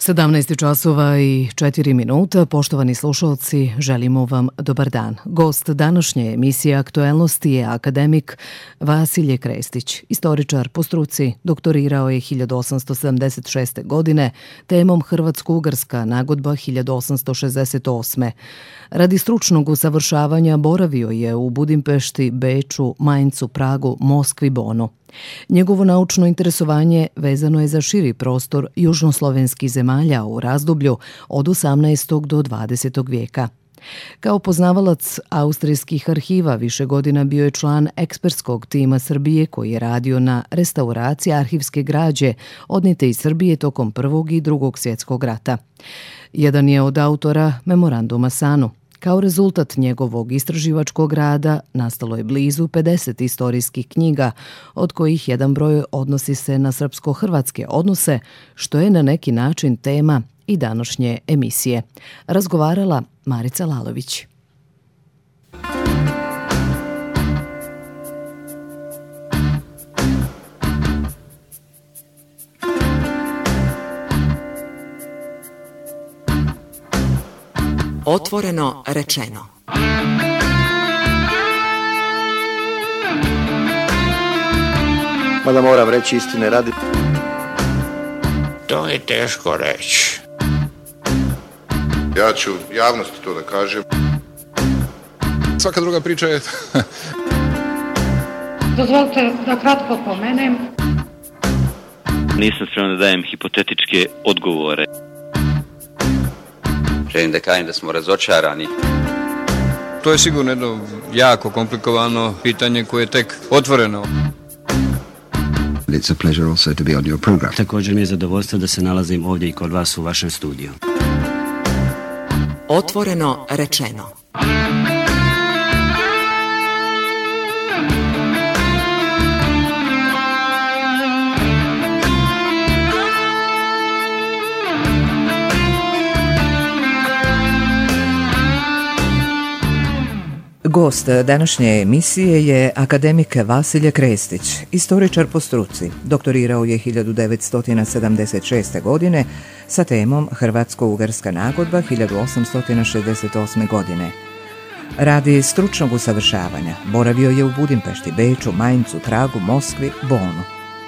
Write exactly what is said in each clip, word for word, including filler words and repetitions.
sedamnaest časova i četiri minuta. Poštovani slušalci, želimo vam dobar dan. Gost današnje emisije Aktuelnosti je akademik Vasilije Krestić. Istoričar po struci, doktorirao je hiljadu osamsto sedamdeset šeste. godine temom Hrvatsko-ugarska nagodba hiljadu osamsto šezdeset osme. Radi stručnog usavršavanja boravio je u Budimpešti, Beču, Maincu, Pragu, Moskvi, Bonu. Njegovo naučno interesovanje vezano je za širi prostor južnoslovenskih zemalja u razdoblju od osamnaestog do dvadesetog vijeka. Kao poznavalac austrijskih arhiva više godina bio je član ekspertskog tima Srbije koji je radio na restauraciji arhivske građe odnijete iz Srbije tokom Prvog i Drugog svjetskog rata. Jedan je od autora Memoranduma Sanu. Kao rezultat njegovog istraživačkog rada nastalo je blizu pedeset istorijskih knjiga, od kojih jedan broj odnosi se na srpsko-hrvatske odnose, što je na neki način tema i današnje emisije. Razgovarala Marica Lalović. Otvoreno rečeno. Mada moram reći istine radi. To je teško reći. Ja ću javnosti to da kažem. Svaka druga priča je... Dozvolite da kratko pomenem. Nisam spreman da dajem hipotetičke odgovore. Želim da kažem da smo razočarani. To je sigurno jedno jako komplikovano pitanje koje je tek otvoreno. It's a pleasure also to be on your program. Također mi je zadovoljstvo da se nalazim ovdje i kod vas u vašem studiju. Otvoreno rečeno. Gost današnje emisije je akademik Vasilije Krestić, istoričar po struci. Doktorirao je hiljadu devetsto sedamdeset šeste. godine sa temom Hrvatsko-ugarska nagodba hiljadu osamsto šezdeset osme. godine. Radi stručnog usavršavanja boravio je u Budimpešti, Beču, Maincu, Pragu, Moskvi, Bonu.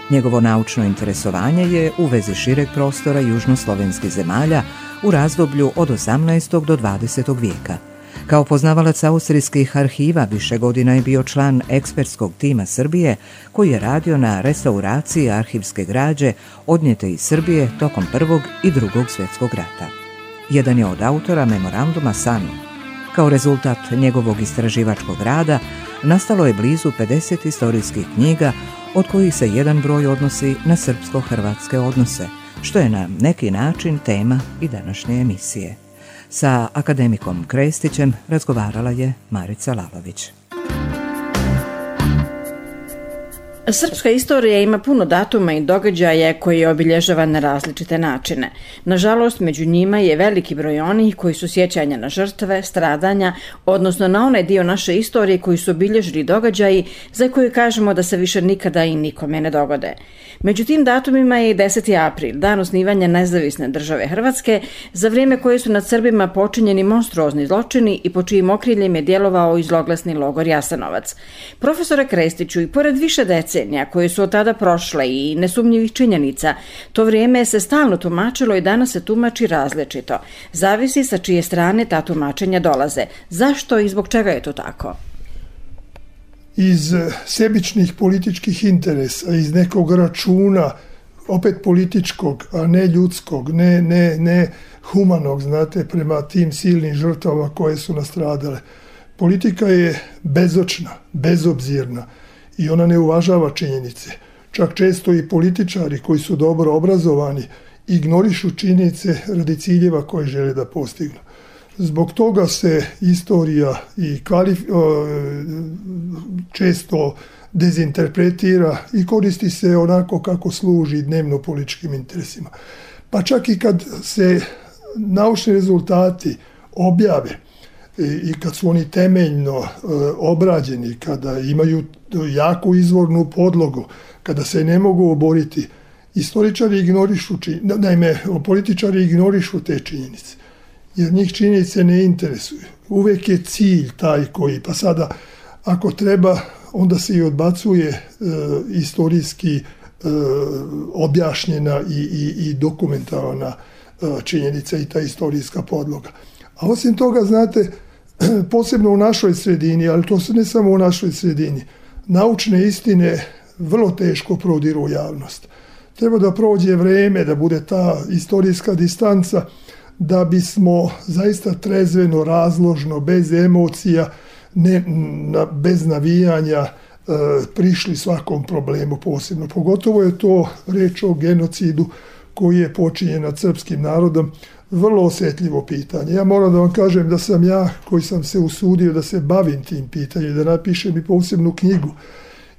Njegovo naučno interesovanje je u vezi šireg prostora južnoslovenskih zemalja u razdoblju od osamnaestog do dvadesetog vijeka. Kao poznavalac austrijskih arhiva više godina je bio član ekspertskog tima Srbije koji je radio na restauraciji arhivske građe odnijete iz Srbije tokom Prvog i Drugog svjetskog rata. Jedan je od autora Memoranduma Sanu. Kao rezultat njegovog istraživačkog rada nastalo je blizu pedeset istorijskih knjiga, od kojih se jedan broj odnosi na srpsko-hrvatske odnose, što je na neki način tema i današnje emisije. Sa akademikom Krestićem razgovarala je Marica Lalović. Srpska istorija ima puno datuma i događaja koji je obilježava na različite načine. Nažalost, među njima je veliki broj onih koji su sjećanja na žrtve, stradanja, odnosno na onaj dio naše istorije koji su obilježili događaji za koje kažemo da se više nikada i nikome ne dogode. Među tim datumima je i deseti april, dan osnivanja nezavisne države Hrvatske, za vrijeme koje su nad Srbima počinjeni monstruozni zločini i po čijim okriljem je djelovao i zloglasni logor Jasenovac. Profesore Krestiću, i pored više decenija koje su od tada prošle i nesumnjivih činjenica, to vrijeme se stalno tumačilo i danas se tumači različito. Zavisi sa čije strane ta tumačenja dolaze. Zašto i zbog čega je to tako? Iz sebičnih političkih interesa, iz nekog računa, opet političkog, a ne ljudskog, ne, ne, ne humanog, znate, prema tim silnim žrtvama koje su nastradale. Politika je bezočna, bezobzirna i ona ne uvažava činjenice. Čak često i političari koji su dobro obrazovani ignorišu činjenice radi ciljeva koje žele da postignu. Zbog toga se istorija i kvalif... često dezinterpretira i koristi se onako kako služi dnevno političkim interesima. Pa čak i kad se naučni rezultati objave i kad su oni temeljno obrađeni, kada imaju jaku izvornu podlogu, kada se ne mogu oboriti, Istoričari ignorišu, naime, političari ignorišu te činjenice, jer njih činjenice ne interesuju. Uvijek je cilj taj koji, pa sada ako treba, onda se i odbacuje e, istorijski e, objašnjena i, i, i dokumentarna e, činjenica i ta istorijska podloga. A osim toga, znate, posebno u našoj sredini, ali to se ne samo u našoj sredini, naučne istine vrlo teško prodiru u javnost. Treba da prođe vreme, da bude ta istorijska distanca, da bismo zaista trezveno, razložno, bez emocija, ne, na, bez navijanja e, prišli svakom problemu posebno. Pogotovo je to reč o genocidu koji je počinjen nad srpskim narodom, vrlo osjetljivo pitanje. Ja moram da vam kažem da sam ja, koji sam se usudio da se bavim tim pitanjem, da napišem i posebnu knjigu.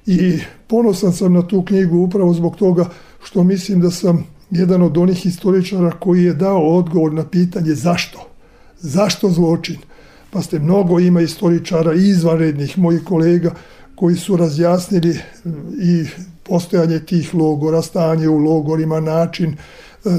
I ponosan sam na tu knjigu upravo zbog toga što mislim da sam jedan od onih historičara koji je dao odgovor na pitanje zašto. Zašto zločin? Pa ste mnogo ima historičara izvanrednih mojih kolega koji su razjasnili i postojanje tih logora, stanje u logorima, način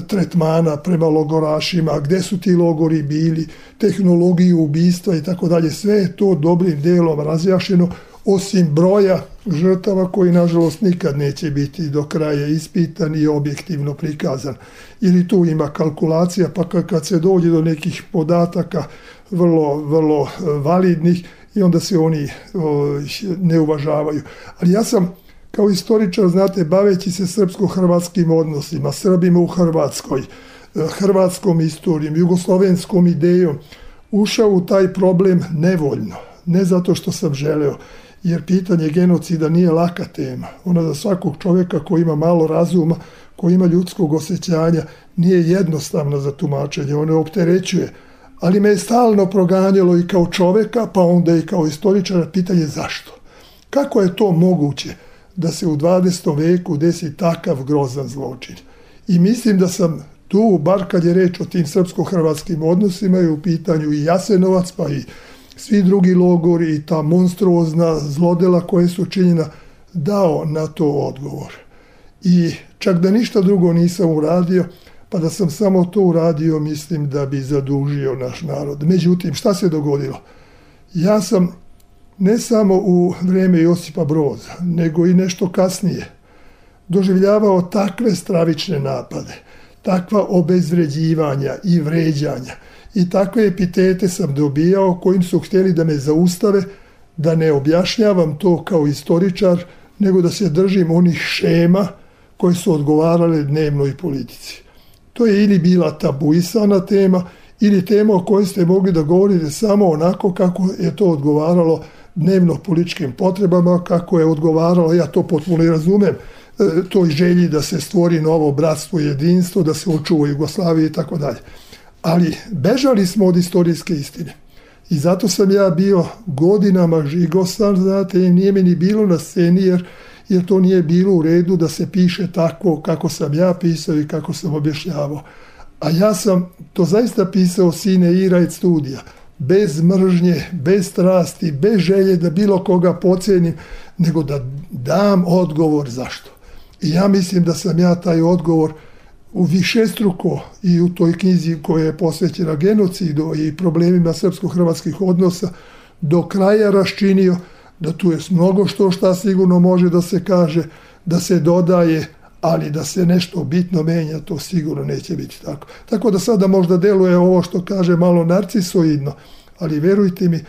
tretmana prema logorašima, gde su ti logori bili, tehnologiju ubistva i tako dalje. Sve je to dobrim delom razjašnjeno, osim broja žrtava koji nažalost nikad neće biti do kraja ispitan i objektivno prikazan. Ili tu ima kalkulacija, pa kad se dođe do nekih podataka vrlo, vrlo validnih i onda se oni o, ne uvažavaju. Ali ja sam kao istoričar, znate, baveći se srpsko-hrvatskim odnosima, Srbima u Hrvatskoj, hrvatskom istorijom, jugoslovenskom idejom, ušao u taj problem nevoljno. Ne zato što sam želeo, jer pitanje genocida nije laka tema. Ona za svakog čovjeka koji ima malo razuma, koji ima ljudskog osjećanja, nije jednostavna za tumačenje, ona opterećuje. Ali me je stalno proganjalo i kao čovjeka, pa onda i kao istoričara pitanje zašto. Kako je to moguće da se u dvadesetom veku desi takav grozan zločin? I mislim da sam tu, bar kad je reč o tim srpsko-hrvatskim odnosima, je u pitanju i Jasenovac, pa i svi drugi logori i ta monstruozna zlodela koje su činjena, dao na to odgovor. I čak da ništa drugo nisam uradio, pa da sam samo to uradio, mislim da bi zadužio naš narod. Međutim, šta se dogodilo? Ja sam ne samo u vrijeme Josipa Broza, nego i nešto kasnije doživljavao takve stravične napade, takva obezvređivanja i vređanja i takve epitete sam dobijao kojim su htjeli da me zaustave, da ne objašnjavam to kao istoričar, nego da se držim onih šema koje su odgovarale dnevnoj politici. To je ili bila tabuisana tema, ili tema o kojoj ste mogli da govorite samo onako kako je to odgovaralo dnevno političkim potrebama, kako je odgovaralo, ja to potpuno i razumem, toj želji da se stvori novo bratstvo i jedinstvo, da se očuva Jugoslavija i tako dalje. Ali bežali smo od istorijske istine. I zato sam ja bio godinama žigosan, znate, i nije mi ni bilo na sceni, jer, jer to nije bilo u redu da se piše tako kako sam ja pisao i kako sam objašnjavao. A ja sam to zaista pisao sine ira et studija, bez mržnje, bez strasti, bez želje da bilo koga pocenim, nego da dam odgovor zašto. I ja mislim da sam ja taj odgovor u višestruko i u toj knjizi koja je posvećena genocidu i problemima srpsko-hrvatskih odnosa do kraja raščinio, da tu je mnogo što šta sigurno može da se kaže, da se dodaje, ali da se nešto bitno menja, to sigurno neće biti tako. Tako da sada možda deluje ovo što kaže malo narcisoidno, ali verujte mi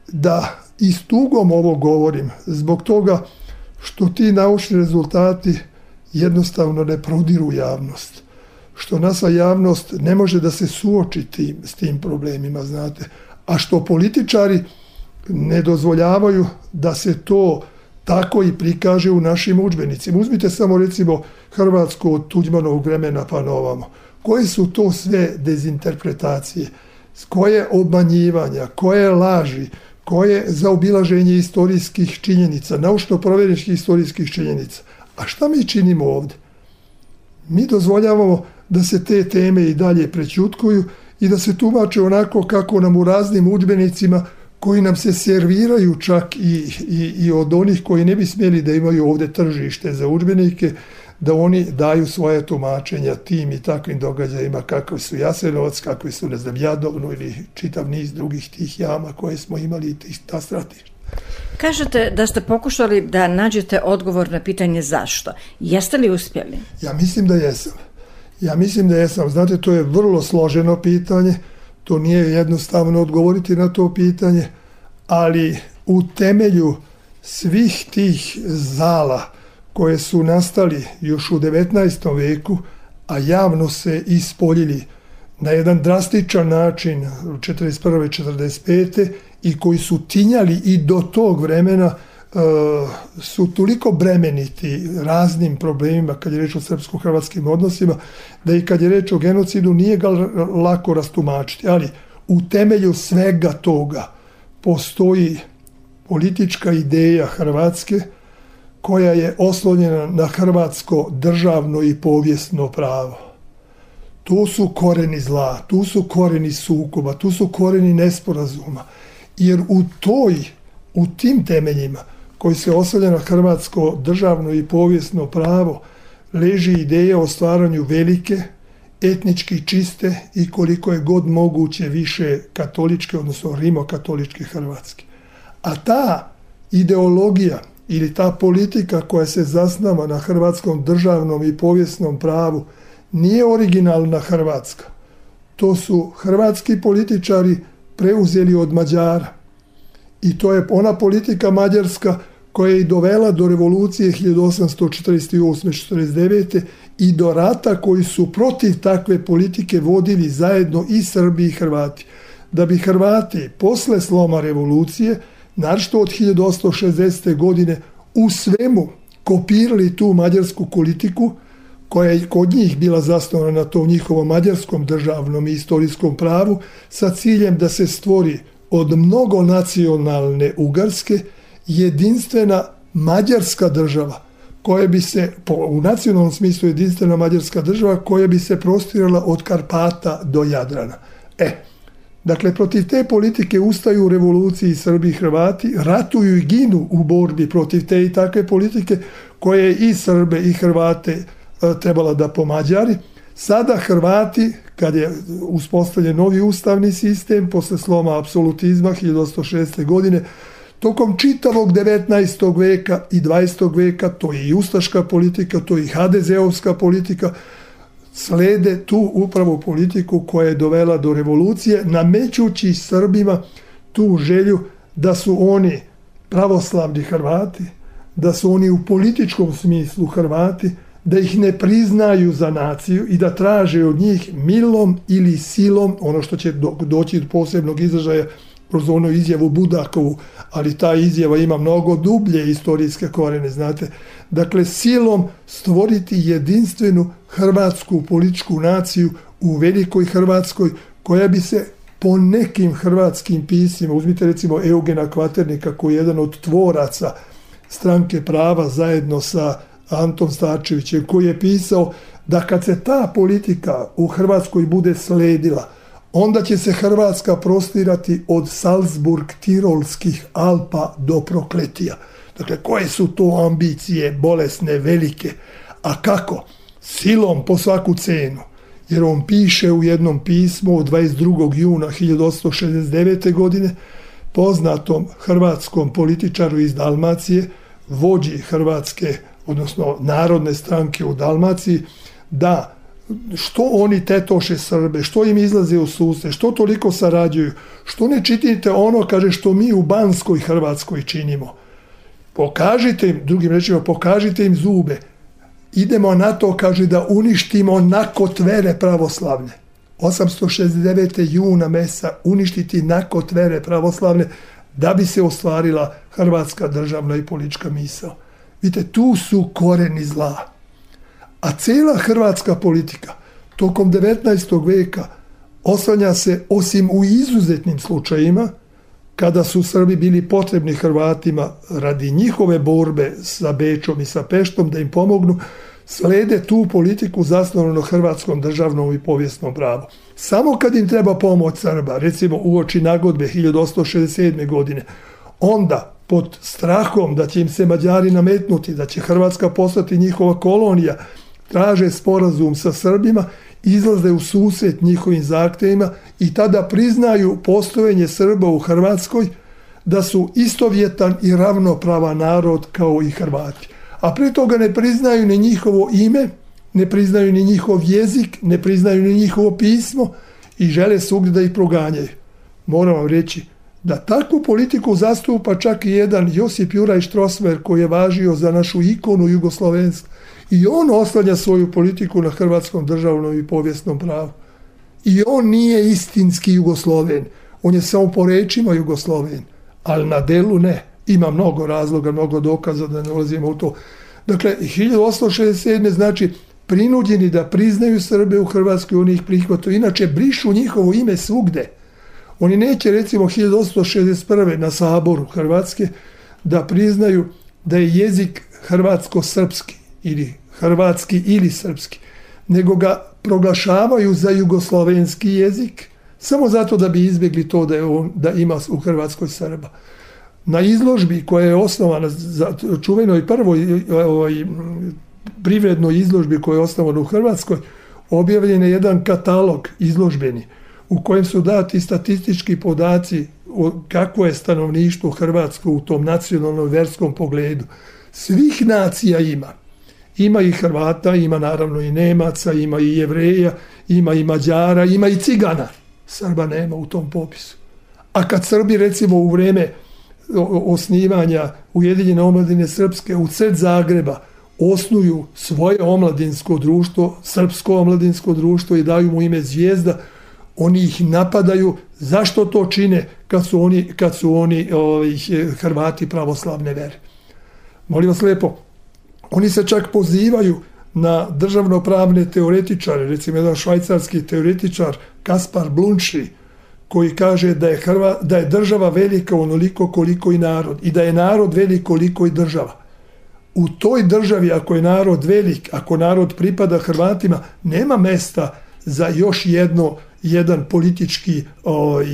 da i s tugom ovo govorim, zbog toga što ti naučni rezultati jednostavno ne prodiru javnost. Što naša javnost ne može da se suoči tim, s tim problemima, znate. A što političari ne dozvoljavaju da se to tako i prikaže u našim udžbenicima. Uzmite samo recimo Hrvatsku od Tuđmanovog vremena pa na ovamo. Koje su to sve dezinterpretacije? Koje obmanjivanja? Koje laži? Koje zaobilaženje istorijskih činjenica? Naučno-provjereničkih istorijskih činjenica? A šta mi činimo ovdje? Mi dozvoljavamo da se te teme i dalje prećutkuju i da se tumače onako kako nam u raznim udžbenicima koji nam se serviraju čak i, i, i od onih koji ne bi smjeli da imaju ovdje tržište za udžbenike, da oni daju svoje tumačenja tim i takvim događajima kakvi su Jasenovac, kakvi su, ne znam, Jadovno ili čitav niz drugih tih jama koje smo imali i ta stratišta. Kažete da ste pokušali da nađete odgovor na pitanje zašto. Jeste li uspjeli? Ja mislim da jesam. Ja mislim da jesam. Znate, to je vrlo složeno pitanje. To nije jednostavno odgovoriti na to pitanje, ali u temelju svih tih zala koje su nastali još u devetnaestom veku, a javno se ispoljili na jedan drastičan način četrdeset prve četrdeset pete i koji su tinjali i do tog vremena, e, su toliko bremeniti raznim problemima kad je reč o srpsko-hrvatskim odnosima, da i kad je reč o genocidu nije ga lako rastumačiti. Ali u temelju svega toga postoji politička ideja Hrvatske koja je oslonjena na hrvatsko državno i povijesno pravo. Tu su koreni zla, tu su koreni sukoba, tu su koreni nesporazuma. Jer u toj, u tim temeljima koji se oslanja na hrvatsko državno i povijesno pravo leži ideja o stvaranju velike, etnički čiste i koliko je god moguće više katoličke, odnosno rimokatoličke Hrvatske. A ta ideologija ili ta politika koja se zasnava na hrvatskom državnom i povijesnom pravu nije originalna Hrvatska. To su hrvatski političari preuzeli od Mađara. I to je ona politika mađarska koja je i dovela do revolucije hiljadu osamsto četrdeset osme četrdeset devete i do rata koji su protiv takve politike vodili zajedno i Srbi i Hrvati. Da bi Hrvati posle sloma revolucije, naročito od hiljadu osamsto šezdesete godine, u svemu kopirali tu mađarsku politiku koja je kod njih bila zasnovana na tom njihovom mađarskom državnom i istorijskom pravu sa ciljem da se stvori od mnogonacionalne Ugarske jedinstvena mađarska država koja bi se, u nacionalnom smislu jedinstvena mađarska država koja bi se prostirala od Karpata do Jadrana. E, dakle, protiv te politike ustaju u revoluciji Srbi i Hrvati, ratuju i ginu u borbi protiv te i takve politike koje je i Srbe i Hrvate trebala da pomađari. Sada Hrvati, kad je uspostavljen novi ustavni sistem, posle sloma apsolutizma hiljadu osamsto šezdeset godine, tokom čitavog devetnaestog veka i dvadesetog veka, to je i ustaška politika, to je i ha de zeovska politika, slede tu upravo politiku koja je dovela do revolucije, namećući Srbima tu želju da su oni pravoslavni Hrvati, da su oni u političkom smislu Hrvati, da ih ne priznaju za naciju i da traže od njih milom ili silom, ono što će do, doći do posebnog izražaja kroz onu izjavu Budakovu, ali ta izjava ima mnogo dublje istorijske korene, znate. Dakle, silom stvoriti jedinstvenu hrvatsku političku naciju u velikoj Hrvatskoj, koja bi se po nekim hrvatskim pismima, uzmite recimo Eugena Kvaternika, koji je jedan od tvoraca Stranke prava zajedno sa Antom Starčevićem, koji je pisao da kad se ta politika u Hrvatskoj bude sledila, onda će se Hrvatska prostirati od Salzburg-Tirolskih Alpa do Prokletija. Dakle, koje su to ambicije bolesne, velike? A kako? Silom po svaku cenu. Jer on piše u jednom pismu od dvadeset drugog juna hiljadu osamsto šezdeset devete godine poznatom hrvatskom političaru iz Dalmacije, vođi Hrvatske, odnosno Narodne stranke u Dalmaciji, da što oni tetoše Srbe, što im izlaze u susret, što toliko sarađuju, što ne činite ono, kaže, što mi u Banskoj Hrvatskoj činimo. Pokažite im, drugim rečima, pokažite im zube. Idemo na to, kaže, da uništimo nakotvere pravoslavne. osamsto šezdeset devete juna mesa uništiti nakotvere pravoslavne da bi se ostvarila hrvatska državna i politička misao. Vidite, tu su koreni zla. A cijela hrvatska politika tokom devetnaestog veka oslanja se, osim u izuzetnim slučajima, kada su Srbi bili potrebni Hrvatima radi njihove borbe sa Bečom i sa Peštom da im pomognu, slede tu politiku zasnovanu na hrvatskom državnom i povijesnom pravu. Samo kad im treba pomoć Srba, recimo uoči nagodbe hiljadu osamsto šezdeset sedme godine, onda pod strahom da će im se Mađari nametnuti, da će Hrvatska postati njihova kolonija, traže sporazum sa Srbima, izlaze u susret njihovim zahtjevima i tada priznaju postojanje Srba u Hrvatskoj, da su istovjetan i ravnopravan narod kao i Hrvati. A pri toga ne priznaju ni njihovo ime, ne priznaju ni njihov jezik, ne priznaju ni njihovo pismo i žele svugdje da ih proganjaju. Moram vam reći da takvu politiku zastupa čak i jedan Josip Juraj Strossmayer koji je važio za našu ikonu jugoslovenstva. I on oslanja svoju politiku na hrvatskom državnom i povijesnom pravu. I on nije istinski Jugosloven. On je samo po rečima Jugosloven, ali na delu ne. Ima mnogo razloga, mnogo dokaza da ne ulazimo u to. Dakle, hiljadu osamsto šezdeset sedme znači prinuđeni da priznaju Srbe u Hrvatskoj, oni ih prihvataju. Inače, brišu njihovo ime svugde. Oni neće, recimo, hiljadu osamsto šezdeset prve na Saboru Hrvatske da priznaju da je jezik hrvatsko-srpski ili hrvatski ili srpski, nego ga proglašavaju za jugoslovenski jezik samo zato da bi izbjegli to da, je on, da ima u Hrvatskoj Srba. Na izložbi koja je osnovana za čuvenoj prvoj ovaj, privrednoj izložbi koja je osnovana u Hrvatskoj, objavljen je jedan katalog izložbeni u kojem su dati statistički podaci o kakvo je stanovništvo Hrvatsko u tom nacionalnom verskom pogledu. Svih nacija ima. Ima i Hrvata, ima naravno i Nemaca, ima i Jevreja, ima i Mađara, ima i Cigana. Srba nema u tom popisu. A kad Srbi, recimo, u vrijeme osnivanja Ujedinjene omladine srpske u sred Zagreba osnuju svoje omladinsko društvo, srpsko omladinsko društvo i daju mu ime Zvijezda, oni ih napadaju. Zašto to čine kad su oni, kad su oni ovaj, Hrvati pravoslavne vere? Molim vas lijepo, oni se čak pozivaju na državnopravne teoretičare, recimo jedan švajcarski teoretičar Kaspar Blunčli, koji kaže da je, Hrva, da je država velika onoliko koliko i narod i da je narod velik koliko i država. U toj državi, ako je narod velik, ako narod pripada Hrvatima, nema mesta za još jedno, jedan politički ovaj,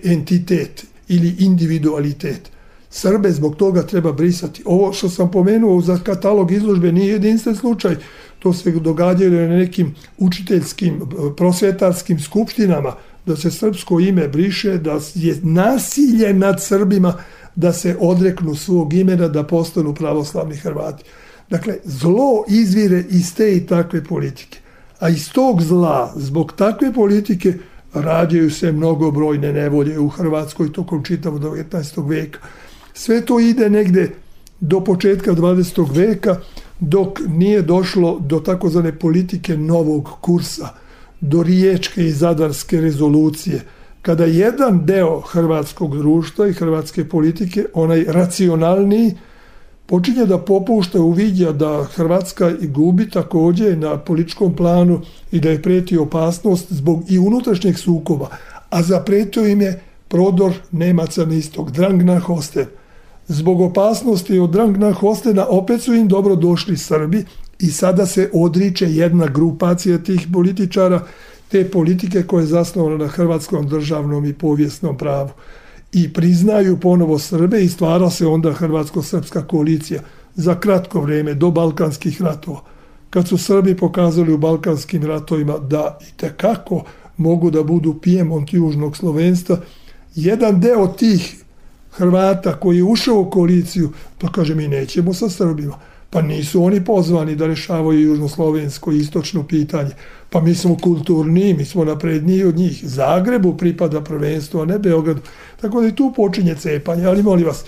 entitet ili individualitet. Srbe zbog toga treba brisati. Ovo što sam pomenuo za katalog izložbe nije jedinstven slučaj. To se događalo na nekim učiteljskim, prosvjetarskim skupštinama, da se srpsko ime briše, da je nasilje nad Srbima da se odreknu svog imena, da postanu pravoslavni Hrvati. Dakle, zlo izvire iz te i takve politike. A iz tog zla, zbog takve politike, rađaju se mnogobrojne nevolje u Hrvatskoj tokom čitavog devetnaestog veka. Sve to ide negde do početka dvadesetog veka, dok nije došlo do takozvane politike novog kursa, do riječke i zadarske rezolucije, kada jedan deo hrvatskog društva i hrvatske politike, onaj racionalniji, počinje da popušta, uviđa da Hrvatska gubi također na političkom planu i da je prijeti opasnost zbog i unutrašnjeg sukoba, a zapretio im je prodor Nemaca na istok, Drang nach Osten. Zbog opasnosti od Drang nach Ostena opet su im dobro došli Srbi i sada se odriče jedna grupacija tih političara, te politike koje je zasnovana na hrvatskom državnom i povijesnom pravu. I priznaju ponovo Srbe i stvara se onda hrvatsko-srpska koalicija za kratko vrijeme do Balkanskih ratova. Kad su Srbi pokazali u Balkanskim ratovima da itekako mogu da budu Pijemont južnog slovenstva, jedan deo tih Hrvata koji je ušao u koaliciju, pa kaže mi nećemo sa Srbima. Pa nisu oni pozvani da rešavaju južnoslovensko i istočno pitanje. Pa mi smo kulturniji, mi smo napredniji od njih. Zagrebu pripada prvenstvo, a ne Beogradu. Tako da i tu počinje cepanje. Ali molim vas,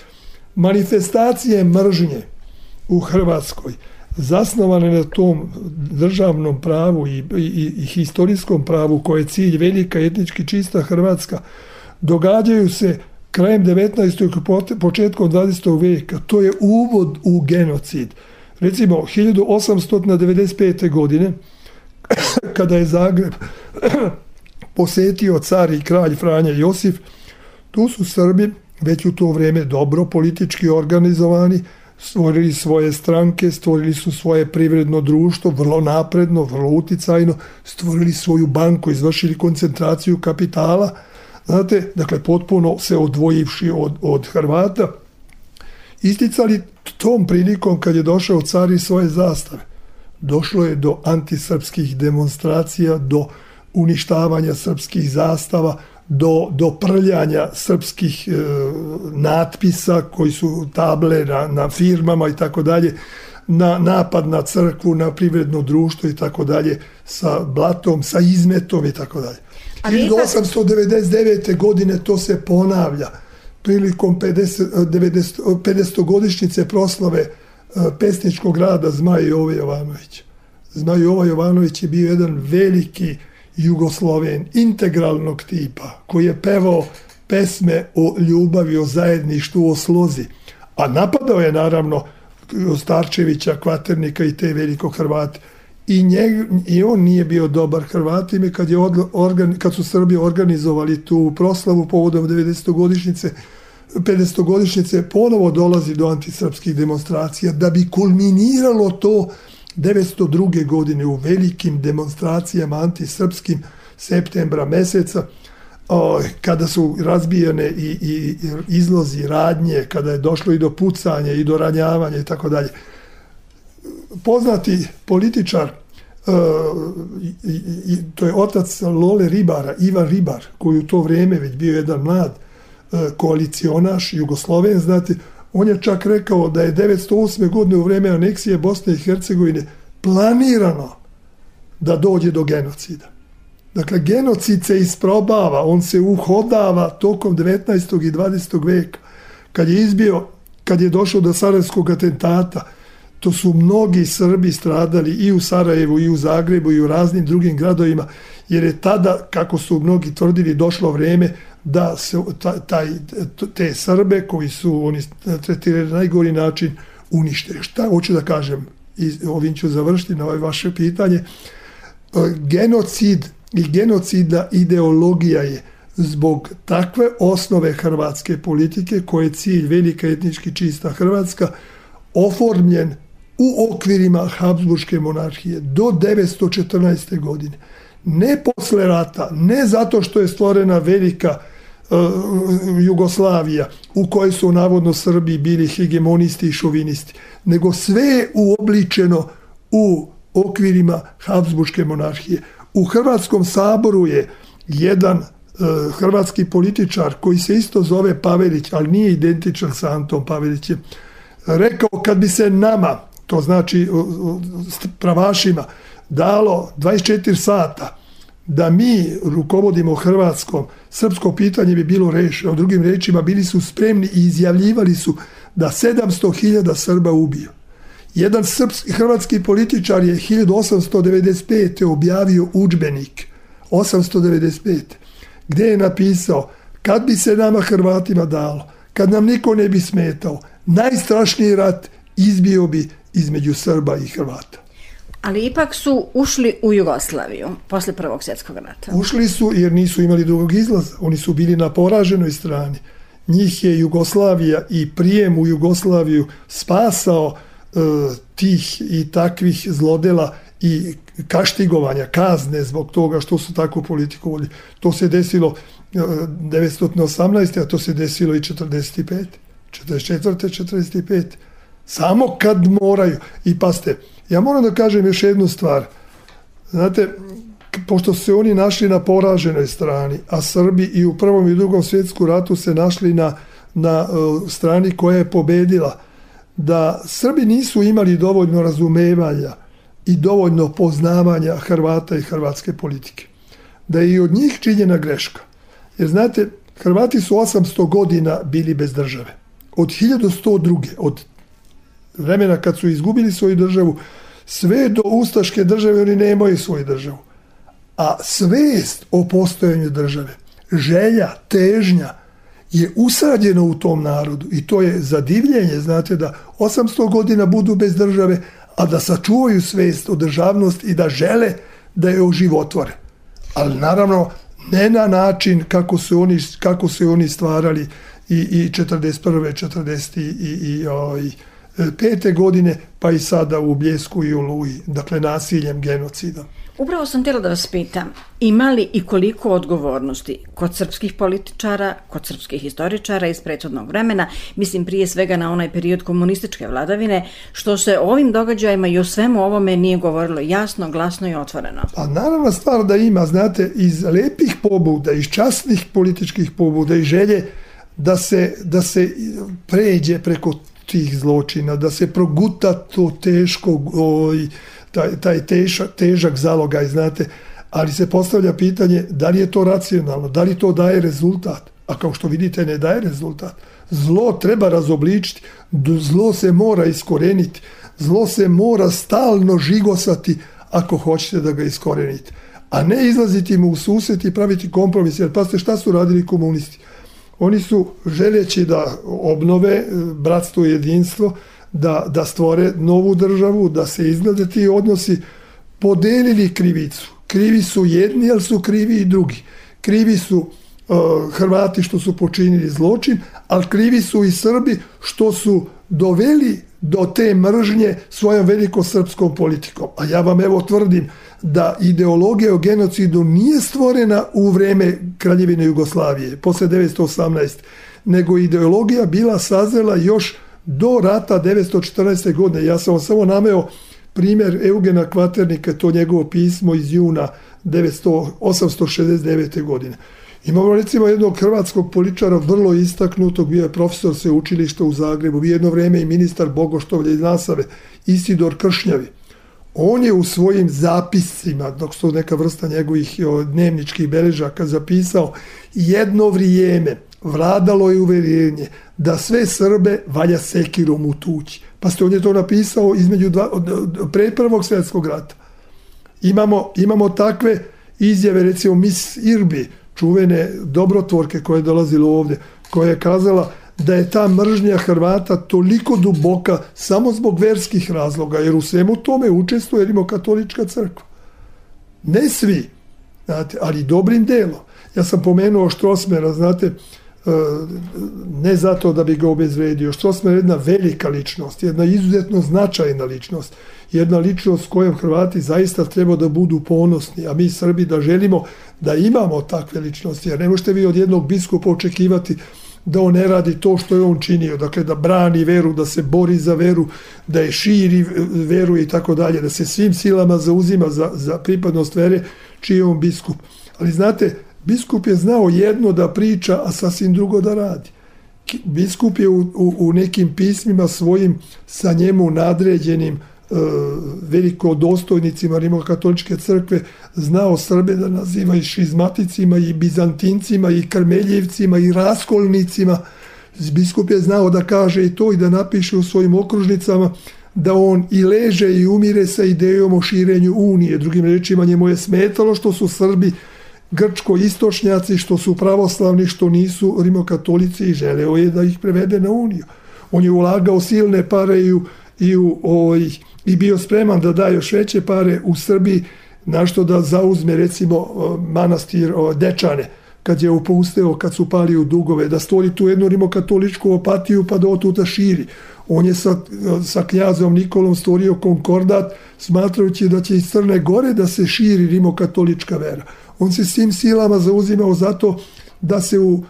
manifestacije mržnje u Hrvatskoj zasnovane na tom državnom pravu i, i, i historijskom pravu koje je cilj velika etnički čista Hrvatska, događaju se krajem devetnaestog i početkom dvadesetog veka. To je uvod u genocid. Recimo, hiljadu osamsto devedeset pete. godine, kada je Zagreb posetio car i kralj Franja Josif, tu su Srbi već u to vrijeme dobro politički organizovani, stvorili svoje stranke, stvorili su svoje privredno društvo, vrlo napredno, vrlo uticajno, stvorili svoju banku, izvršili koncentraciju kapitala, znate, dakle, potpuno se odvojivši od, od Hrvata. isticali tom prilikom kad je došao car i svoje zastave. Došlo je do antisrpskih demonstracija, do uništavanja srpskih zastava, do, do prljanja srpskih e, natpisa koji su table na, na firmama i tako dalje, na napad na crkvu, na privredno društvo i tako dalje, sa blatom, sa izmetom i tako dalje. hiljadu osamsto devedeset devete. godine to se ponavlja prilikom pedesetogodišnjice proslave pesničkog rada Zmaj Jove Jovanovića. Zmaj Jova Jovanović je bio jedan veliki Jugosloven integralnog tipa koji je pevao pesme o ljubavi, o zajedništvu, o slozi. A napadao je naravno Starčevića, Kvaternika i te velikog Hrvata. I, njeg, I on nije bio dobar Hrvatima kad, je organ, kad su Srbi organizovali tu proslavu povodom devedesetogodišnjice, pedesetogodišnjice, ponovo dolazi do antisrpskih demonstracija da bi kulminiralo to devetsto druge. godine u velikim demonstracijama antisrpskim septembra meseca, o, kada su razbijane i, i izlozi, radnje, kada je došlo i do pucanja i do ranjavanja i tako dalje. Poznati političar, uh, i, i, to je otac Lole Ribara, Ivan Ribar, koji u to vrijeme već bio jedan mlad uh, koalicionaš, Jugosloven, znate, on je čak rekao da je devetsto osme. godine u vrijeme aneksije Bosne i Hercegovine planirano da dođe do genocida. Dakle, genocid se isprobava, on se uhodava tokom devetnaestog i dvadesetog veka. Kad je izbio, kad je došao do sarajevskog atentata, to su mnogi Srbi stradali i u Sarajevu, i u Zagrebu, i u raznim drugim gradovima, jer je tada, kako su mnogi tvrdili, došlo vrijeme da se taj, te Srbe koji su oni tretirali na najgori način unište. Šta hoću da kažem? I ovim ću završiti na ovo vaše pitanje. Genocid i genocidna ideologija je zbog takve osnove hrvatske politike, koje je cilj velika etnički čista Hrvatska, oformljen u okvirima Habsburške monarhije do devetsto četrnaeste. godine. Ne posle rata, ne zato što je stvorena velika uh, Jugoslavija u kojoj su navodno Srbi bili hegemonisti i šovinisti, nego sve je uobličeno u okvirima Habsburške monarhije. U Hrvatskom saboru je jedan uh, hrvatski političar koji se isto zove Pavelić, ali nije identičan sa Antom Pavelićem, rekao kad bi se nama, to znači pravašima, dalo dvadeset četiri sata da mi rukovodimo Hrvatskom, srpsko pitanje bi bilo rešeno. U drugim rečima, bili su spremni i izjavljivali su da sedamsto hiljada Srba ubio. Jedan srpski, hrvatski političar je hiljadu osamsto devedeset pete. objavio udžbenik, osamsto devedeset pete. gdje je napisao kad bi se nama Hrvatima dalo, kad nam niko ne bi smetao, najstrašniji rat izbio bi između Srba i Hrvata. Ali ipak su ušli u Jugoslaviju posle Prvog svjetskog rata. Ušli su jer nisu imali drugog izlaza. Oni su bili na poraženoj strani. Njih je Jugoslavija i prijem u Jugoslaviju spasao e, tih i takvih zlodela i kaštigovanja, kazne zbog toga što su takvu politiku vodili. To se desilo e, devetsto osamnaeste. a to se desilo i četrdeset pete. četrdeset četvrte. četrdeset pete. Samo kad moraju. I paste, ja moram da kažem još jednu stvar. Znate, pošto su se oni našli na poraženoj strani, a Srbi i u Prvom i Drugom svjetskom ratu se našli na, na uh, strani koja je pobedila, da Srbi nisu imali dovoljno razumevanja i dovoljno poznavanja Hrvata i hrvatske politike. Da je i od njih činjena greška. Jer znate, Hrvati su osamsto godina bili bez države. Od hiljadu sto druge. od vremena kad su izgubili svoju državu, sve do ustaške države oni nemaju svoju državu. A svest o postojanju države, želja, težnja je usađena u tom narodu i to je zadivljenje, znate, da osamsto godina budu bez države, a da sačuvaju svest o državnosti i da žele da je oživotvore. Ali naravno ne na način kako su oni, kako su oni stvarali i, i četrdeset prve. četrdeset i, i, i pete godine, pa i sada u Bljesku i u Oluji, dakle nasiljem, genocidom. Upravo sam htjela da vas pitam, ima li i koliko odgovornosti kod srpskih političara, kod srpskih historičara iz prethodnog vremena, mislim prije svega na onaj period komunističke vladavine, što se o ovim događajima i o svemu ovome nije govorilo jasno, glasno i otvoreno? Pa naravno stvar da ima, znate, iz lepih pobuda, iz časnih političkih pobuda i želje da se, da se pređe preko tih zločina, da se proguta to teško, oj, taj, taj težak, težak zalogaj, znate, ali se postavlja pitanje da li je to racionalno, da li to daje rezultat, a kao što vidite ne daje rezultat. Zlo treba razobličiti, zlo se mora iskoreniti, zlo se mora stalno žigosati ako hoćete da ga iskorenite, a ne izlaziti mu u susret i praviti kompromis, jer pazite šta su radili komunisti. Oni su, želeći da obnove bratstvo i jedinstvo, da, da stvore novu državu, da se izglede ti odnosi, podelili krivicu. Krivi su jedni, ali su krivi i drugi. Krivi su uh, Hrvati što su počinili zločin, ali krivi su i Srbi što su doveli do te mržnje svojom velikosrpskom politikom. A ja vam evo tvrdim da ideologija o genocidu nije stvorena u vreme Kraljevine Jugoslavije, posle devetsto osamnaeste, nego ideologija bila sazrela još do rata devetsto četrnaeste. godine. Ja sam vam samo nameo primjer Eugena Kvaternika, to njegovo pismo iz juna osamsto šezdeset devete. godine. Imamo recimo jednog hrvatskog političara vrlo istaknutog, bio je profesor sveučilišta u Zagrebu, bio jedno vrijeme i ministar Bogoštovlja iz Nasave, Isidor Kršnjavi. On je u svojim zapiscima, dok su neka vrsta njegovih dnevničkih beležaka, zapisao: jedno vrijeme vladalo je uvjerenje da sve Srbe valja sekirom utući. Pa ste on je to napisao između dva, pre prvog svjetskog rata. Imamo, imamo takve izjave, recimo Miss Irbi, čuvene dobrotvorke koja je dolazila ovdje, koja je kazala da je ta mržnja Hrvata toliko duboka samo zbog verskih razloga, jer u svemu tome učestvuje rimokatolička crkva. Ne svi, znate, ali dobrim delom. Ja sam pomenuo Strossmayera, znate, ne zato da bi ga obezvredio. Strossmayer je jedna velika ličnost, jedna izuzetno značajna ličnost, jedna ličnost s kojom Hrvati zaista treba da budu ponosni, a mi Srbi da želimo da imamo takve ličnosti, jer ne možete vi od jednog biskupa očekivati da on ne radi to što je on činio, dakle da brani veru, da se bori za veru, da je širi veru i tako dalje, da se svim silama zauzima za, za pripadnost vere čiji je on biskup. Ali znate, biskup je znao jedno da priča, a sasvim drugo da radi. Biskup je u, u, u nekim pismima svojim sa njemu nadređenim e, velikodostojnicima rimokatoličke crkve znao Srbe da naziva i šizmaticima, i bizantincima, i karmeljevcima, i raskolnicima. Biskup je znao da kaže i to i da napiše u svojim okružnicama da on i leže i umire sa idejom o širenju Unije. Drugim rečima, njemu je smetalo što su Srbi grčko-istočnjaci, što su pravoslavni, što nisu rimokatolici, i želeo je da ih prevede na Uniju. On je ulagao silne pare i, u, i, u, oj, i bio spreman da daje još veće pare u Srbiji, našto da zauzme recimo manastir Dečane, kad je upusteo, kad su pali u dugove, da stvori tu jednu rimokatoličku opatiju pa da otuda širi. On je sa, sa knjazom Nikolom stvorio konkordat, smatrajući da će iz Crne Gore da se širi rimokatolička vera. On se svim silama zauzimao zato da se u uh,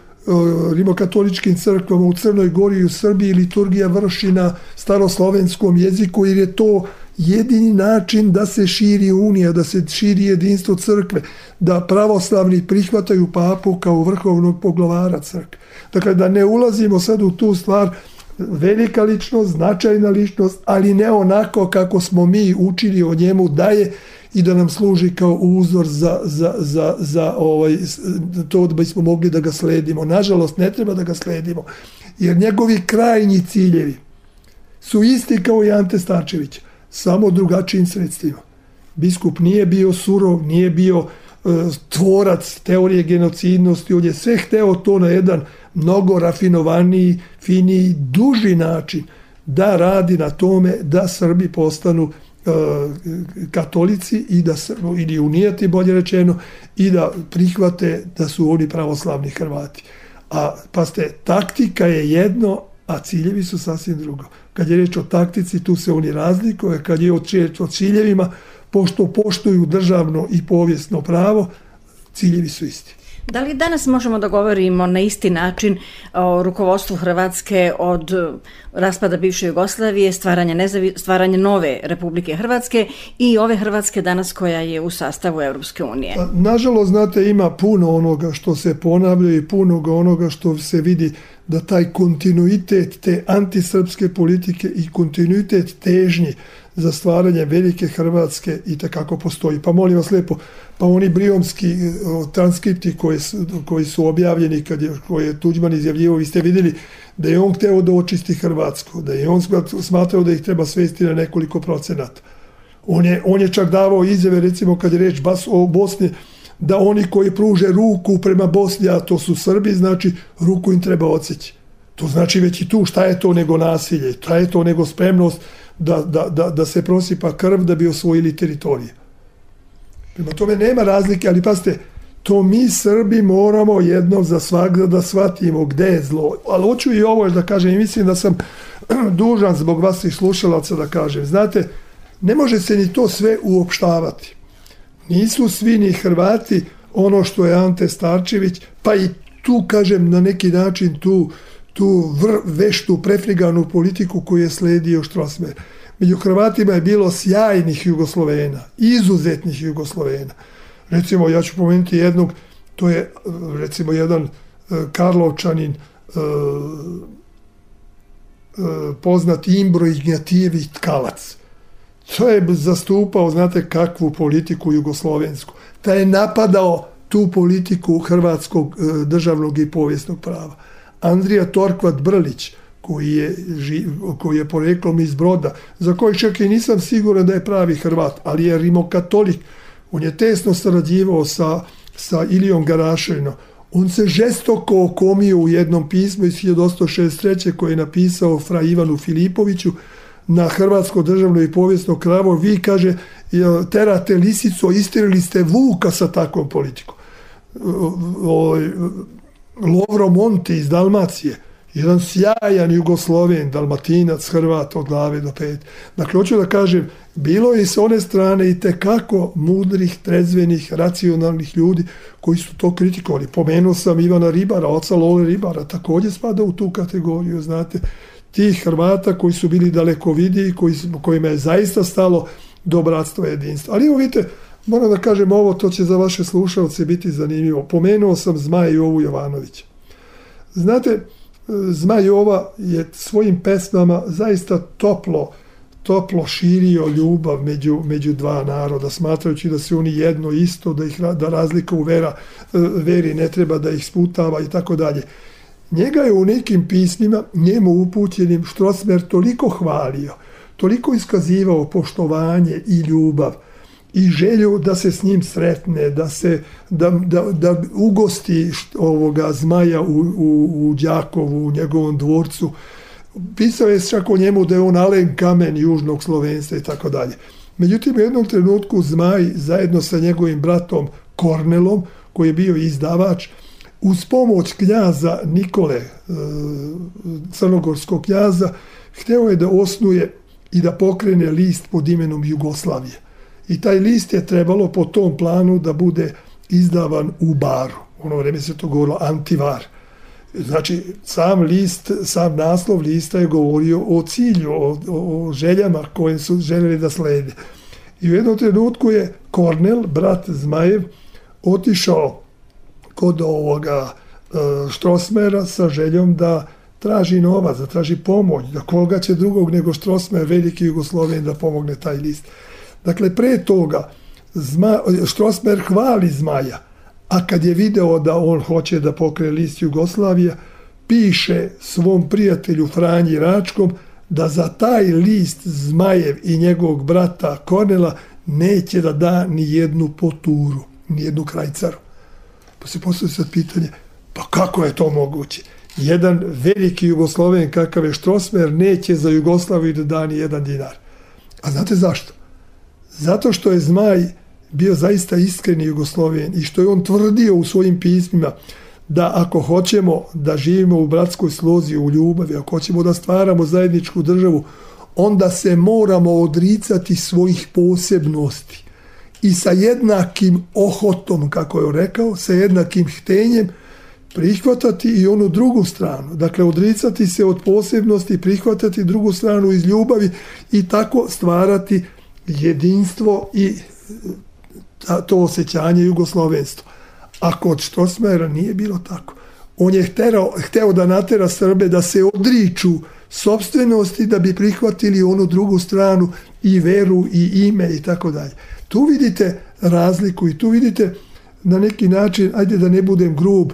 rimokatoličkim crkvama u Crnoj Gori i u Srbiji liturgija vrši na staroslovenskom jeziku, jer je to jedini način da se širi Unija, da se širi jedinstvo crkve, da pravoslavni prihvataju papu kao vrhovnog poglavara crkve. Dakle, da ne ulazimo sad u tu stvar, velika ličnost, značajna ličnost, ali ne onako kako smo mi učili o njemu da je i da nam služi kao uzor za, za, za, za ovaj, to da bismo mogli da ga sledimo. Nažalost, ne treba da ga sledimo, jer njegovi krajnji ciljevi su isti kao i Ante Starčević, samo drugačijim sredstvima. Biskup nije bio surov, nije bio uh, tvorac teorije genocidnosti, on je sve hteo to na jedan mnogo rafinovaniji, finiji, duži način da radi na tome da Srbi postanu katolici i da ili unijeti, bolje rečeno, i da prihvate da su oni pravoslavni Hrvati. A pa ste, taktika je jedno, a ciljevi su sasvim drugo. Kad je reč o taktici, tu se oni razlikuju, kad je reč o ciljevima, pošto poštuju državno i povijesno pravo, ciljevi su isti. Da li danas možemo da govorimo na isti način o rukovodstvu Hrvatske od raspada bivše Jugoslavije, stvaranje, nezavi, stvaranje nove Republike Hrvatske i ove Hrvatske danas koja je u sastavu Europske unije? Nažalost, znate, ima puno onoga što se ponavlja i puno onoga što se vidi da taj kontinuitet te antisrpske politike i kontinuitet težnji za stvaranje velike Hrvatske i takako postoji. Pa molim vas lijepo, pa oni briomski transkripti koji su, koji su objavljeni kad je, koje je Tuđman izjavljivo, vi ste vidjeli da je on hteo da očisti Hrvatsku, da je on smatrao da ih treba svesti na nekoliko procenata. On je, on je čak davao izjave, recimo kad je reč o Bosni, da oni koji pruže ruku prema Bosni, a to su Srbi, znači ruku im treba odseći. To znači već i tu šta je to nego nasilje, šta je to nego spremnost da, da, da, da se prosipa krv da bi osvojili teritorije. Prema tome nema razlike, ali pazite, to mi Srbi moramo jednom za svakda da shvatimo gde je zlo. Ali hoću i ovo da kažem, i mislim da sam dužan zbog vas i slušalaca da kažem. Znate, ne može se ni to sve uopštavati. Nisu svi ni Hrvati ono što je Ante Starčević, pa i tu, kažem, na neki način tu, tu vr, veštu, prefriganu politiku koju je sledio Strossmayer. Među Hrvatima je bilo sjajnih Jugoslovena, izuzetnih Jugoslovena. Recimo, ja ću pomenuti jednog, to je recimo jedan Karlovčanin, poznat Imbro Ignjatijević Tkalac. To je zastupao, znate kakvu politiku jugoslovensku. Taj je napadao tu politiku hrvatskog državnog i povijesnog prava. Andrija Torkvat Brlić, koji je, koji je poreklom iz Broda, za koji čak i nisam siguran da je pravi Hrvat, ali je rimokatolik. On je tesno sarađivao sa, sa Ilijom Garaševinom. On se žestoko okomio u jednom pismu iz hiljadu osamsto šezdeset treće koje je napisao fra Ivanu Filipoviću na hrvatsko državno i povijesno pravo. Vi, kaže, terate lisicu, istirili ste vuka sa takvom politikom. Lovro Monti iz Dalmacije, jedan sjajan Jugosloven, Dalmatinac, Hrvat od glave do pet. Dakle, hoću da kažem, bilo je s one strane i tekako mudrih, trezvenih, racionalnih ljudi koji su to kritikovali. Pomenuo sam Ivana Ribara, oca Lole Ribara, također spada u tu kategoriju, znate, tih Hrvata koji su bili dalekovidiji, koji, kojima je zaista stalo do bratstva i jedinstva. Ali evo vidite, moram da kažem ovo, to će za vaše slušalce biti zanimljivo. Pomenuo sam Zmaja Jovu Jovanovića. Znate, Zmaj Jova je svojim pesmama zaista toplo, toplo širio ljubav među, među dva naroda, smatrajući da su oni jedno isto, da, ih, da razlika u vera, veri ne treba da ih sputava i tako dalje. Njega je u nekim pismima, njemu upućenim, Strossmayer toliko hvalio, toliko iskazivao poštovanje i ljubav i želju da se s njim sretne, da se da, da, da ugosti ovoga Zmaja u, u, u Đakovu, u njegovom dvorcu. Pisao je čak o njemu da je on alen kamen južnog slovenstva i tako dalje. Međutim, u jednom trenutku Zmaj zajedno sa njegovim bratom Kornelom, koji je bio izdavač, uz pomoć knjaza Nikole, crnogorskog knjaza, hteo je da osnuje i da pokrene list pod imenom Jugoslavije. I taj list je trebalo po tom planu da bude izdavan u Baru. U ono vreme se to govorilo Antivar. Znači, sam list, sam naslov lista je govorio o cilju, o, o željama koje su željeli da slede. I u jednom trenutku je Kornel, brat Zmajev, otišao kod ovoga Strossmayera sa željom da traži novac, da traži pomoć, da koga će drugog nego Strossmayer, veliki Jugosloven, da pomogne taj list. Dakle, pre toga Zma, Strossmayer hvali Zmaja, a kad je video da on hoće da pokrene list Jugoslavija, piše svom prijatelju Franji Račkom da za taj list Zmajev i njegovog brata Kornela neće da da ni jednu poturu, ni jednu krajcaru. Pa se postavlja sad pitanje, pa kako je to moguće? Jedan veliki Jugosloven kakav je Strossmayer neće za Jugoslaviju da da ni jedan dinar. A znate zašto? Zato što je Zmaj bio zaista iskreni Jugosloven i što je on tvrdio u svojim pismima da ako hoćemo da živimo u bratskoj slozi, u ljubavi, ako hoćemo da stvaramo zajedničku državu, onda se moramo odricati svojih posebnosti i sa jednakim ohotom, kako je rekao, sa jednakim htenjem prihvatati i onu drugu stranu. Dakle, odricati se od posebnosti, prihvatati drugu stranu iz ljubavi i tako stvarati jedinstvo i to osjećanje jugoslovenstva. A kod Strossmayera nije bilo tako. On je hteo, hteo da natera Srbe da se odriču sopstvenosti da bi prihvatili onu drugu stranu i veru i ime i tako dalje. Tu vidite razliku i tu vidite na neki način, ajde da ne budem grub,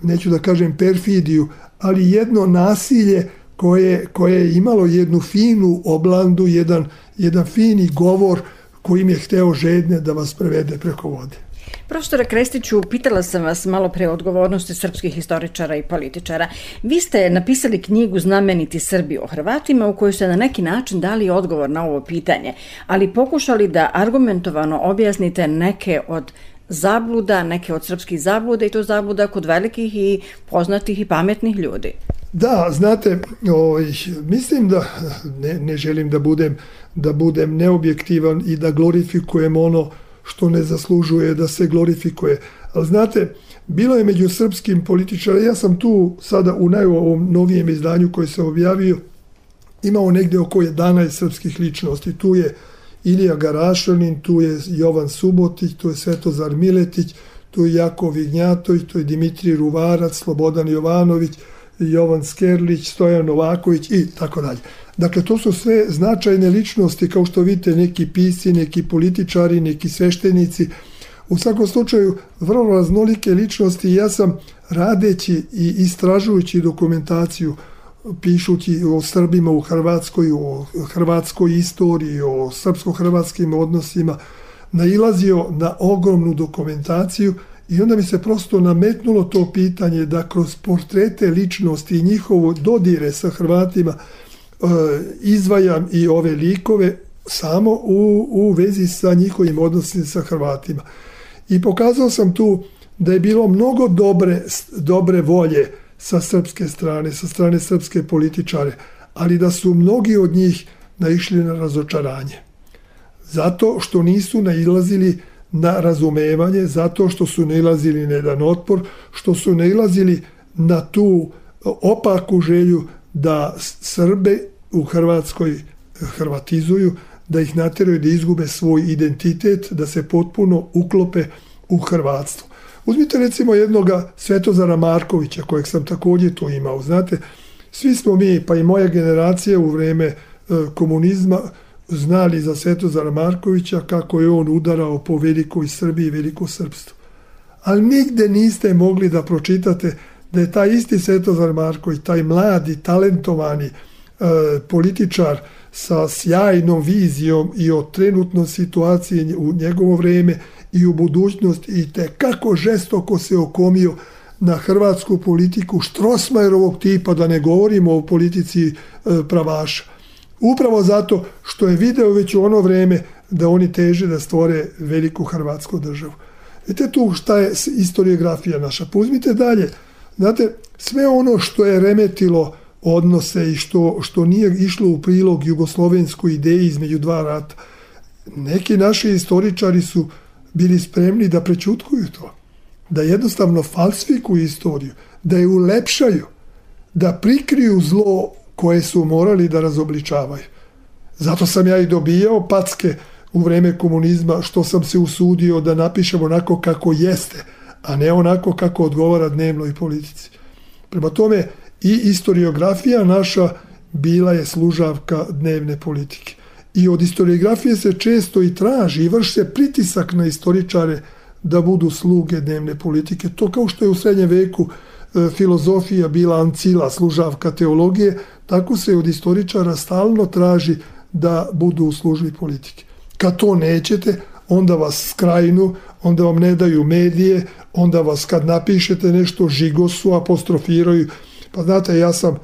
neću da kažem perfidiju, ali jedno nasilje koje, koje je imalo jednu finu oblandu, jedan, jedan fini govor kojim je hteo žedne da vas prevede preko vode. Profesore Krestiću, pitala sam vas malo pre o odgovornosti srpskih historičara i političara. Vi ste napisali knjigu Znameniti Srbi o Hrvatima u kojoj ste na neki način dali odgovor na ovo pitanje, ali pokušali da argumentovano objasnite neke od zabluda, neke od srpskih zabluda i to zabluda kod velikih i poznatih i pametnih ljudi. Da, znate, oj, mislim da ne, ne želim da budem, da budem neobjektivan i da glorifikujem ono što ne zaslužuje da se glorifikuje. Ali znate, bilo je među srpskim političarima, ja sam tu sada u najovom novijem izdanju koji se objavio, imao negdje oko jedanaest srpskih ličnosti. Tu je Ilija Garašanin, tu je Jovan Subotić, tu je Svetozar Miletić, tu je Jakov Vignjatović, tu je Dimitrij Ruvarac, Slobodan Jovanović, Jovan Skerlić, Stojan Novaković i tako dalje. Dakle, to su sve značajne ličnosti, kao što vidite, neki pisci, neki političari, neki sveštenici. U svakom slučaju, vrlo raznolike ličnosti. Ja sam radeći i istražujući dokumentaciju, pišući o Srbima u Hrvatskoj, o hrvatskoj istoriji, o srpsko-hrvatskim odnosima, nailazio na ogromnu dokumentaciju i onda mi se prosto nametnulo to pitanje da kroz portrete ličnosti i njihovo dodire sa Hrvatima izdvajam i ove likove samo u, u vezi sa njihovim odnosima sa Hrvatima. I pokazao sam tu da je bilo mnogo dobre, dobre volje sa srpske strane, sa strane srpske političare, ali da su mnogi od njih naišli na razočaranje. Zato što nisu nailazili na razumevanje, zato što su nailazili na jedan otpor, što su nailazili na tu opaku želju da Srbe u Hrvatskoj hrvatizuju, da ih nateraju da izgube svoj identitet, da se potpuno uklope u hrvatstvo. Uzmite recimo jednoga Svetozara Markovića, kojeg sam također tu imao. Znate, svi smo mi, pa i moja generacija u vreme e, komunizma, znali za Svetozara Markovića kako je on udarao po velikoj Srbiji i veliko srpstvo. Ali nigde niste mogli da pročitate da je taj isti Svetozar Marković, taj mladi, talentovani e, političar sa sjajnom vizijom i o trenutnoj situaciji u njegovo vreme i u budućnost i te kako žestoko se okomio na hrvatsku politiku Strossmayerovog tipa, da ne govorimo o politici e, pravaša. Upravo zato što je video već u ono vreme da oni teže da stvore veliku hrvatsku državu. Vidite tu šta je historiografija naša. Uzmite dalje. Znate, sve ono što je remetilo odnose i što, što nije išlo u prilog jugoslovenskoj ideji između dva rata, neki naši historičari su bili spremni da prećutkuju to, da jednostavno falsifikuju istoriju, da je ulepšaju, da prikriju zlo koje su morali da razobličavaju. Zato sam ja i dobijao packe u vreme komunizma što sam se usudio da napišem onako kako jeste, a ne onako kako odgovara dnevnoj politici. Prema tome, i historiografija naša bila je služavka dnevne politike. I od historiografije se često i traži i vrši se pritisak na historičare da budu sluge dnevne politike. To kao što je u srednjem veku e, filozofija bila ancila, služavka teologije, tako se od historičara stalno traži da budu u službi politike. Kad to nećete, onda vas skrajnu, onda vam ne daju medije, onda vas kad napišete nešto žigosu, apostrofiraju. Pa znate, ja sam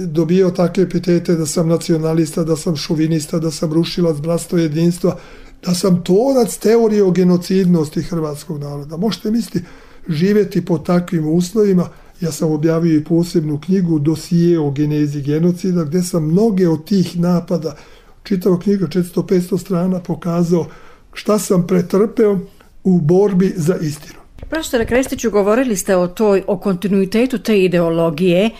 dobio takve epitete da sam nacionalista, da sam šovinista, da sam rušilac bratstva jedinstva, da sam tvorac teorije o genocidnosti hrvatskog naroda. Možete misliti, živjeti pod takvim uslovima. Ja sam objavio i posebnu knjigu Dosije o genezi genocida, gdje sam mnoge od tih napada, čitava knjiga četiristo do petsto strana, pokazao šta sam pretrpeo u borbi za istinu. Profesore Krestiću, govorili ste o toj, o kontinuitetu te ideologije,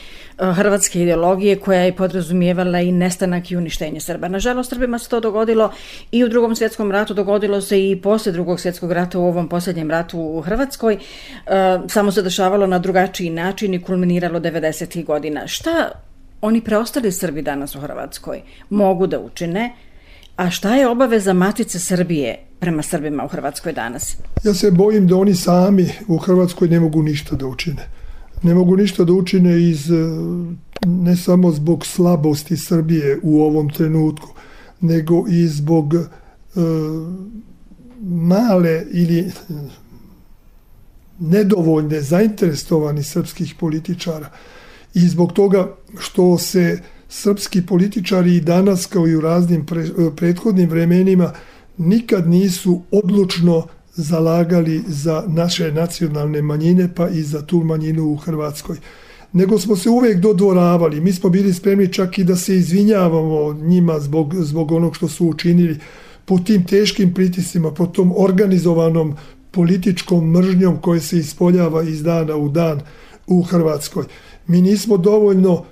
hrvatske ideologije koja je podrazumijevala i nestanak i uništenje Srba. Nažalost, Srbima se to dogodilo i u Drugom svjetskom ratu, dogodilo se i poslije Drugog svjetskog rata u ovom posljednjem ratu u Hrvatskoj. E, samo se dešavalo na drugačiji način i kulminiralo devedesetih godina. Šta oni preostali Srbi danas u Hrvatskoj mogu da učine, a šta je obaveza Matice Srbije prema Srbima u Hrvatskoj danas? Ja se bojim da oni sami u Hrvatskoj ne mogu ništa da učine. Ne mogu ništa da učine iz, ne samo zbog slabosti Srbije u ovom trenutku, nego i zbog e, male ili nedovoljne zainteresovani srpskih političara i zbog toga što se srpski političari i danas kao i u raznim pre, prethodnim vremenima nikad nisu odlučno zalagali za naše nacionalne manjine pa i za tu manjinu u Hrvatskoj. Nego smo se uvijek dodvoravali. Mi smo bili spremni čak i da se izvinjavamo njima zbog, zbog onog što su učinili po tim teškim pritiscima, po tom organizovanom političkom mržnjom koje se ispoljava iz dana u dan u Hrvatskoj. Mi nismo dovoljno uh,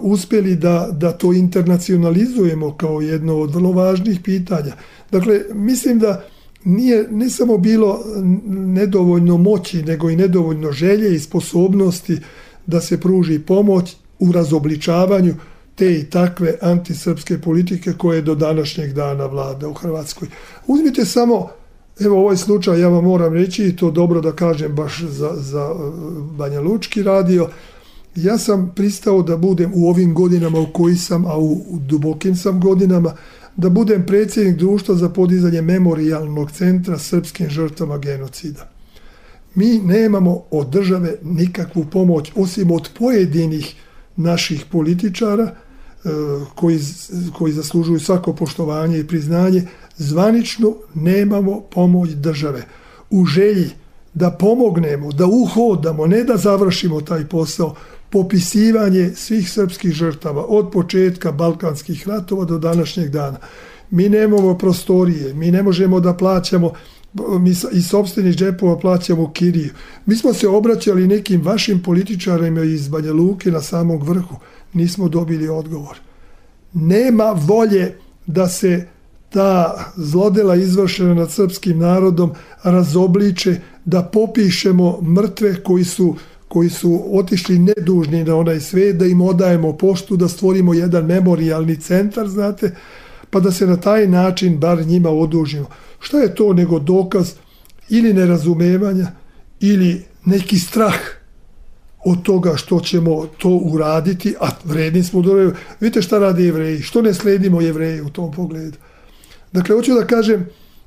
uspjeli da, da to internacionalizujemo kao jedno od vrlo važnih pitanja. Dakle, mislim da nije ne samo bilo nedovoljno moći, nego i nedovoljno želje i sposobnosti da se pruži pomoć u razobličavanju te i takve antisrpske politike koje do današnjeg dana vlada u Hrvatskoj. Uzmite samo, evo ovaj slučaj, ja vam moram reći, i to dobro da kažem baš za, za Banja Lučki radio, ja sam pristao da budem u ovim godinama u koji sam, a u, u dubokim sam godinama, da budem predsjednik društva za podizanje memorijalnog centra srpskim žrtvama genocida. Mi nemamo od države nikakvu pomoć, osim od pojedinih naših političara koji, koji zaslužuju svako poštovanje i priznanje. Zvanično nemamo pomoć države. U želji da pomognemo, da uhodamo, ne da završimo taj posao, popisivanje svih srpskih žrtava od početka Balkanskih ratova do današnjeg dana. Mi nemamo prostorije, mi ne možemo da plaćamo, mi iz sopstvenih džepova plaćamo kiriju. Mi smo se obraćali nekim vašim političarima iz Banja Luke na samom vrhu, nismo dobili odgovor. Nema volje da se ta zlodela izvršena nad srpskim narodom razobliče, da popišemo mrtve koji su koji su otišli nedužni na onaj svijet, da im odajemo poštu, da stvorimo jedan memorijalni centar, znate, pa da se na taj način bar njima odužimo. Šta je to nego dokaz ili nerazumevanja ili neki strah od toga što ćemo to uraditi, a vredni smo do... Vidite šta rade Jevreji, što ne sledimo Jevreji u tom pogledu. Dakle, hoću da kažem,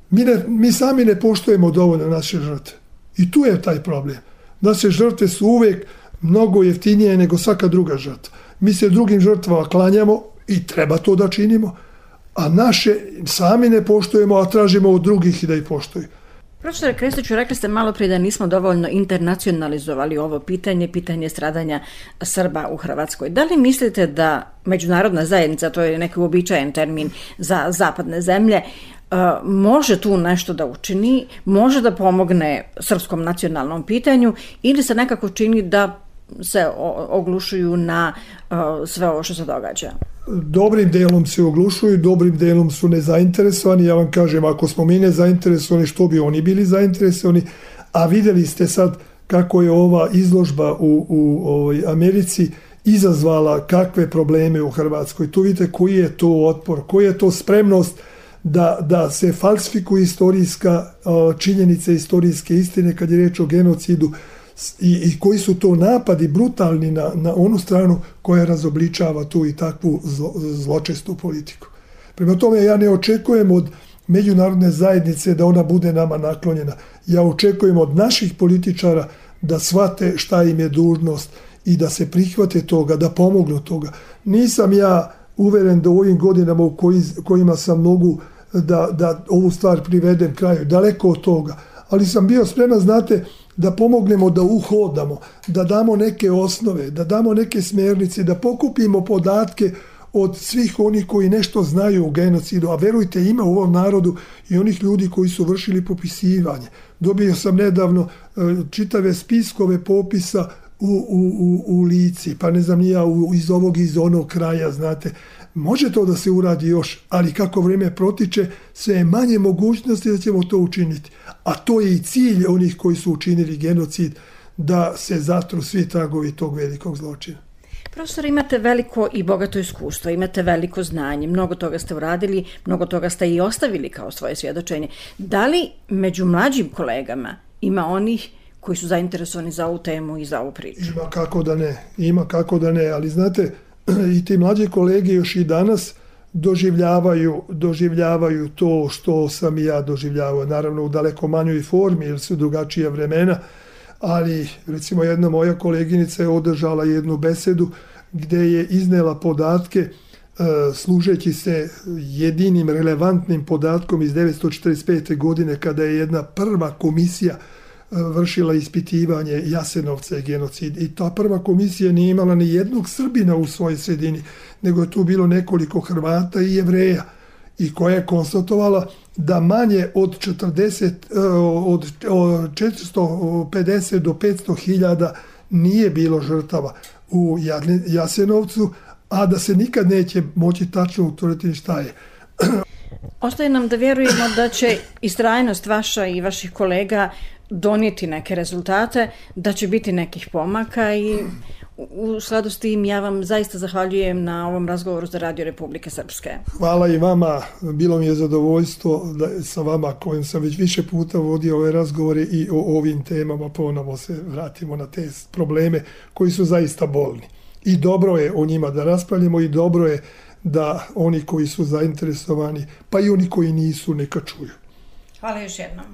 mi, ne, mi sami ne poštujemo dovoljno naše žrtve. I tu je taj problem. Naše žrtve su uvijek mnogo jeftinije nego svaka druga žrtva. Mi se drugim žrtvama klanjamo i treba to da činimo, a naše sami ne poštujemo, a tražimo od drugih i da ih poštuju. Profesore Krestiću, rekli ste malo prije da nismo dovoljno internacionalizovali ovo pitanje, pitanje stradanja Srba u Hrvatskoj. Da li mislite da međunarodna zajednica, to je neki uobičajen termin za zapadne zemlje, može tu nešto da učini, može da pomogne srpskom nacionalnom pitanju ili se nekako čini da se oglušuju na sve ovo što se događa? Dobrim delom se oglušuju, dobrim delom su nezainteresovani. Ja vam kažem, ako smo mi nezainteresovani, što bi oni bili zainteresovani? A vidjeli ste sad kako je ova izložba u, u ovoj Americi izazvala kakve probleme u Hrvatskoj. Tu vidite koji je to otpor, koja je to spremnost da, da se falsifikuje istorijska činjenica, istorijske istine kad je reč o genocidu i, i koji su to napadi brutalni na, na onu stranu koja razobličava tu i takvu zlo, zločestu politiku. Prema tome ja ne očekujem od međunarodne zajednice da ona bude nama naklonjena. Ja očekujem od naših političara da shvate šta im je dužnost i da se prihvate toga, da pomognu toga. Nisam ja uveren da u ovim godinama u koji, kojima sam mogu da, da ovu stvar privedem kraju, daleko od toga, ali sam bio spreman, znate, da pomognemo da uhodamo, da damo neke osnove, da damo neke smjernice, da pokupimo podatke od svih onih koji nešto znaju o genocidu, a verujte, ima u ovom narodu i onih ljudi koji su vršili popisivanje. Dobio sam nedavno čitave spiskove popisa u, u, u, u Lici, pa ne znam ni ja, u, iz ovog iz onog kraja, znate. Može to da se uradi još, ali kako vrijeme protiče, sve je manje mogućnosti da ćemo to učiniti. A to je i cilj onih koji su učinili genocid, da se zatru svi tragovi tog velikog zločina. Profesor, imate veliko i bogato iskustvo, imate veliko znanje, mnogo toga ste uradili, mnogo toga ste i ostavili kao svoje svjedočenje. Da li među mlađim kolegama ima onih koji su zainteresovani za ovu temu i za ovu priču? Ima kako da ne, ima kako da ne, ali znate, i ti mlađi kolege još i danas doživljavaju, doživljavaju to što sam i ja doživljavao, naravno u daleko manjoj formi jer su drugačija vremena, ali recimo jedna moja koleginica je održala jednu besedu gdje je iznela podatke služeći se jedinim relevantnim podatkom iz devetsto četrdeset pete. godine kada je jedna prva komisija vršila ispitivanje Jasenovca i genocid. I ta prva komisija nije imala ni jednog Srbina u svojoj sredini, nego je tu bilo nekoliko Hrvata i Jevreja, i koja je konstatovala da manje od četrdeset, od četiristo pedeset do petsto hiljada nije bilo žrtava u Jasenovcu, a da se nikad neće moći tačno utvrditi šta je. Ostaje nam da vjerujemo da će istrajnost vaša i vaših kolega donijeti neke rezultate, da će biti nekih pomaka i u skladu s tim ja vam zaista zahvaljujem na ovom razgovoru za Radio Republike Srpske. Hvala i vama, bilo mi je zadovoljstvo da sa vama kojim sam već više puta vodio ove razgovore i o ovim temama ponovo se vratimo na te probleme koji su zaista bolni. I dobro je o njima da raspravljamo i dobro je da oni koji su zainteresovani, pa i oni koji nisu, neka čuju. Hvala još jednom.